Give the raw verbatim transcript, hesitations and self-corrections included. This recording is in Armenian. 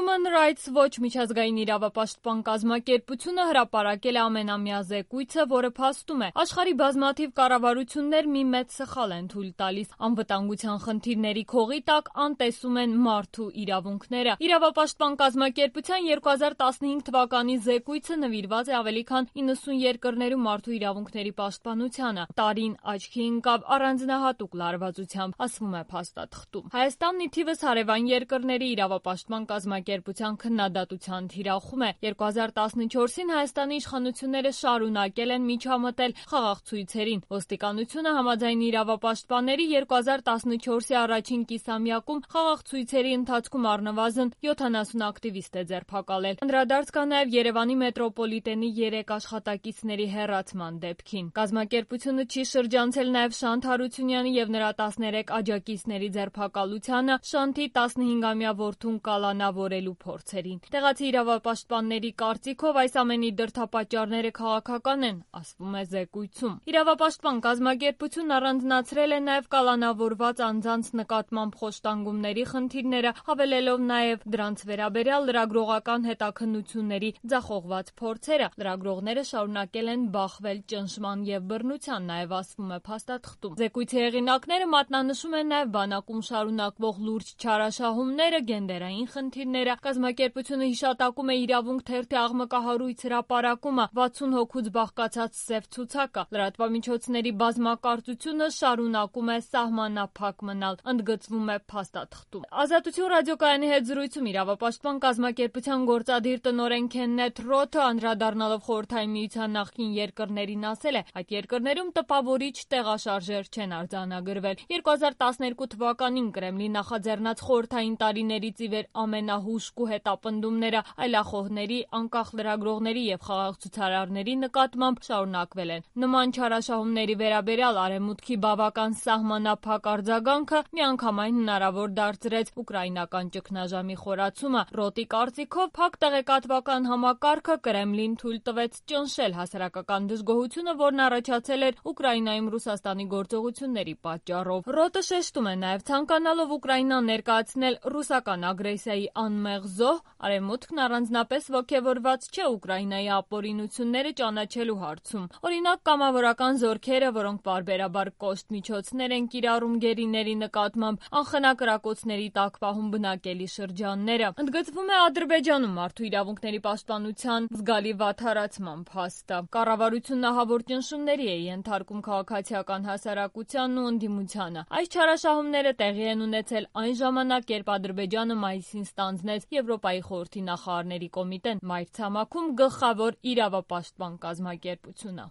Human Rights Watch միջազգային իրավապաշտպան կազմակերպությունը հրապարակել է ամենամյա զեկույցը, որը փաստում է, աշխարհի բազմաթիվ կառավարություններ մի մեծ սխալ են թույլ տալիս, անվտանգության խնդիրների քողի տակ անտեսում են մարդու իրավունքները։ Իրավապաշտպան կազմակերպության երկու հազար տասնհինգ թվականի զեկույցը նվիրված է ավելի քան իննսուն երկրներում մարդու իրավունքների պաշտպանությանը։ Տարին աչքի ընկավ առանձնահատուկ լարվածությամբ, ասվում է փաստաթղթում։ Հայաստանն ի թիվս հարևան երկրների իրավապաշտպան կազմակերպության քննադատության թիրախում է։ երկու հազար տասնչորսին Հայաստանի իշխանությունները շարունակել են միջամտել խաղաղ ցույցերին։ Ոստիկանությունը համաձայն իրավապաշտպանների երկու հազար տասնչորսի առաջին կիսամյակում խաղաղ ցույցերի ընթացքում առնվազն յոթանասուն ակտիվիստ է ձերբակալել։ Անդրադարձ կա նաև Երևանի մետրոպոլիտենի երեք աշխատակիցների հեռացման դեպքին։ Կազմակերպությունը չի շրջանցել նաև Շանթ Հարությունյանի եւ նրա տասներեք աջակիցների ձերբակալությանը, Շանթի տասնհինգամյա որդուն կալանավորելու փորձերին։ Տեղացի իրավապաշտպանների կարծիքով այս ամենի դրդապատճառները քաղաքական են, ասվում է զեկույցում։ Իրավապաշտպան կազմակերպությունն առանձնացրել է նաև կալանավորված անձանց նկատմամբ խոշտանգումների խնդիրները, հավելելով նաև դրանց վերաբերյալ լրագրողական հետաքննությունների ձախողված փորձերը։ Լրագրողները շարունակել են բախվել ճնշման եւ բռնության, նաև ասվում է փաստաթղթում։ Զեկույցի հեղինակները մատնանշում են նաև բանակում շարունակվող լուրջ չարաշահումները, գենդերային խնդիրները։ Կազմակերպությունը հիշատակում է իրավունք թերթի աղմկահարույց հրապարակումը, վաթսուն հոգուց բաղկացած սև ցուցակը։ Լրատվամիջոցների բազմակարծությունը շարունակում է սահմանափակ մնալ, ընդգծվում է փաստաթղթում։ Ազատություն ռադիոկայանի հետ զրույցում իրավապաշտպան կազմակերպության գործադիր տնօրեն Քեննեթ Ռոթը, անդրադառնալով Խորհրդային Միության նախկին երկրներին, ասել է, այդ երկրներում տպավորիչ տեղաշարժեր չեն արձանագրվել։ երկու հազար տասներկու թվականին Կրեմլի նախաձեռնած խորհրդային տարիներից ի վեր ամենահուժկու հետապնդումները այլախոհների, անկախ լրագրողների եւ խաղաղ ցուցարարների նկատմամբ շարունակվել են։ Նման չարաշահումների վերաբերյալ Արևմուտքի բավական սահմանափակ արձագանքը միանգամայն հնարավոր դարձրեց ուկրաինական ճգնաժամի խորացումը։ Ռոտի կարծիքով փակ տեղեկատվական համակարգը Կրեմլին թույլ տվեց ճնշել հասարակական դժգոհությունը, որն առաջացել էր Ուկրաինայում Ռուսաստանի գործողությունների պատճառով։ Ռոտը շեշտում է նաև, ցանկանալով Ուկրաինան ներկայացնել ռուսական ագրեսիայի անմեղ զոհ, Արևմուտքն առանձնապես ոգևորված չէ Ուկրաինայի ապօրինությունները ճանաչելու հարցում։ Օրինակ, կամավորական զորքերը, որոնք պարբերաբար կոշտ միջոցներ են կիրառում գերիների նկատմամբ, անխնա կրակոցների տակ պահում բնակելի շրջանները։ Ընդգծվում է Ադրբեջանում մարդու իրավունքների պաշտպանության զգալի վատթարացման փաստը։ Կառավարությունն ահավոր ճնշումների է ենթարկում քաղաքացիական հասարակությանն ու ընդդիմությանը։ Այս չարաշահումները տեղի են ունեցել այն ժամանակ, երբ Ադրբեջանը մայիսին ստանձնեց Եվրոպայի խորհրդի նախարարների կոմիտեն, մայրցամաքում գլխավոր իրավապաշտպան կազմակերպությունը։